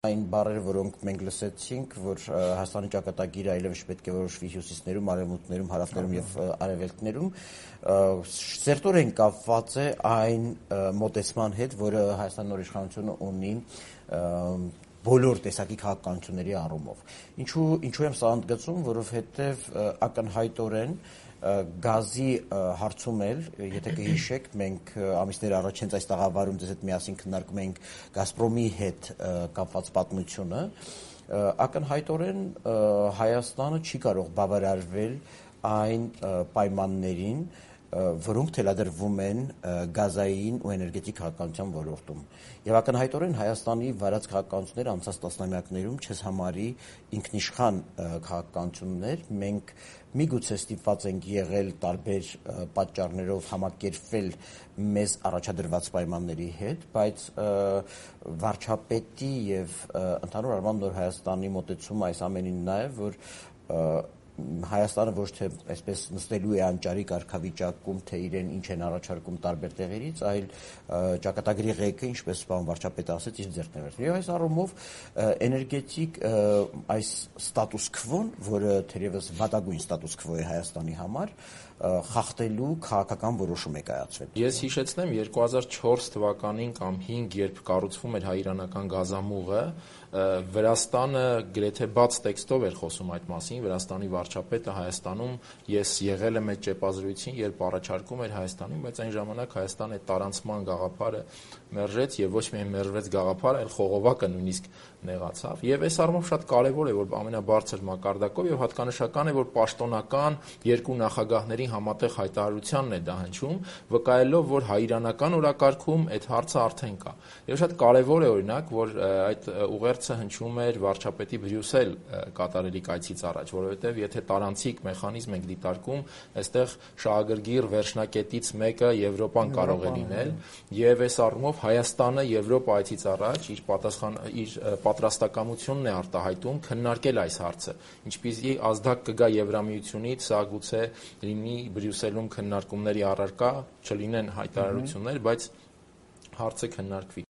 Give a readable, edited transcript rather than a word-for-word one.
Այն բառերը, որոնք մենք լսեցինք, որ Հայաստանի ճակատագիրը այլևս պետք է որոշվի հյուսիսներում, արևմուտքներում, հարավներում եւ արևելքներում, սերտորեն կապված է այն մոտեցման հետ, որը Հայաստանի նոր իշխանությունը ունի բոլոր տեսակի քաղաքականությունների առումով։ Ինչու եմ սա ընդգծում, որովհետեւ ակնհայտորեն գազի հարցում էլ, եթե կհիշեք, մենք ամիսներ առաջ հենց այս տաղավարում ձեզ հետ միասին քննարկում էինք Գազպրոմի հետ կապված պատմությունը, ակնհայտորեն Հայաստանը չի կարող բավարարվել այն պայմաններին, որոնք թելադրվում են գազային ու էներգետիկ քաղաքականության ոլորտում։ Եվ ակնհայտորեն Հայաստանի վարած քաղաքականությունները անցած տասնամյակներում չես համարի ինքնիշխան քաղաքականություններ, մենք միգուցե ստիպված ենք եղել տարբեր պատճառներով համակերպվել մեզ առաջադրված պայմանների հետ, բայց վարչապետի եւ ընդհանուր առմամբ Նոր Հայաստանի մոտեցումը այս ամենին նա է, որ Հայաստանը ոչ թե այսպես նստելու է անճարի կարգավիճակում, թե իրեն ինչ են առաջարկում տարբեր տեղերից, այլ ճակատագրի ղեկը, ինչպես պարոն վարչապետը ասեց, իր ձեռքն է վերցնում։ Եվ այս առումով էներգետիկ այս ստատուս քվոն, որը թերևս վատագույն ստատուս քվո է Հայաստանի համար, խախտելու քաղաքական որոշում է կայացվել։ Ես հիշեցնեմ 2004 թվականին կամ 5, երբ կառուցվում էր հայ-իրանական գազամուղը, Վրաստանը գրեթե բաց տեքստով էր խոսում այդ մասին, Վրաստանի վարչապետը Հայաստանում, ես եղել եմ այդ ճեպազրույցին, երբ առաջարկում էր Հայաստանին, բայց այն ժամանակ Հայաստանը այդ տարանցման գաղափարը մերժեց եւ ոչ միայն մերժվեց գաղափարը, այլ խողովակը նույնիսկ նեղացավ։ Եվ այս առումով շատ կարեւոր է, որ ամենաբարձր մակարդակով եւ հատկանշական է, որ պաշտոնական երկու նախագահների համատեղ հայտարարությանն է դա հնչում, վկայելով, որ հայ-իրանական օրակարգում այդ հարցը արդեն կա։ Եվ շատ կարեւոր է օրինակ, որ այդ ուղերձը հնչում էր վարչապետի Բրյուսել կատարելի կայցից առաջ, որովհետեւ եթե տարանցիկ մեխանիզմ ենք դիտարկում, այստեղ շահագրգիռ վերջնակետից մեկը Եվրոպան կարող է լինել, եւ այս առումով Հայաստանը Եվրոպա այցից առաջ իր պատրաստակամությունն է արտահայտում քննարկել այս հարցը։ Ինչպիսի ազդակ կգա Եվրամիությունից, սա գուցե լինի Բրյուսելում քննարկումների առարկա, չլինեն հայտարարություններ, բայց հարցը քննարկվի։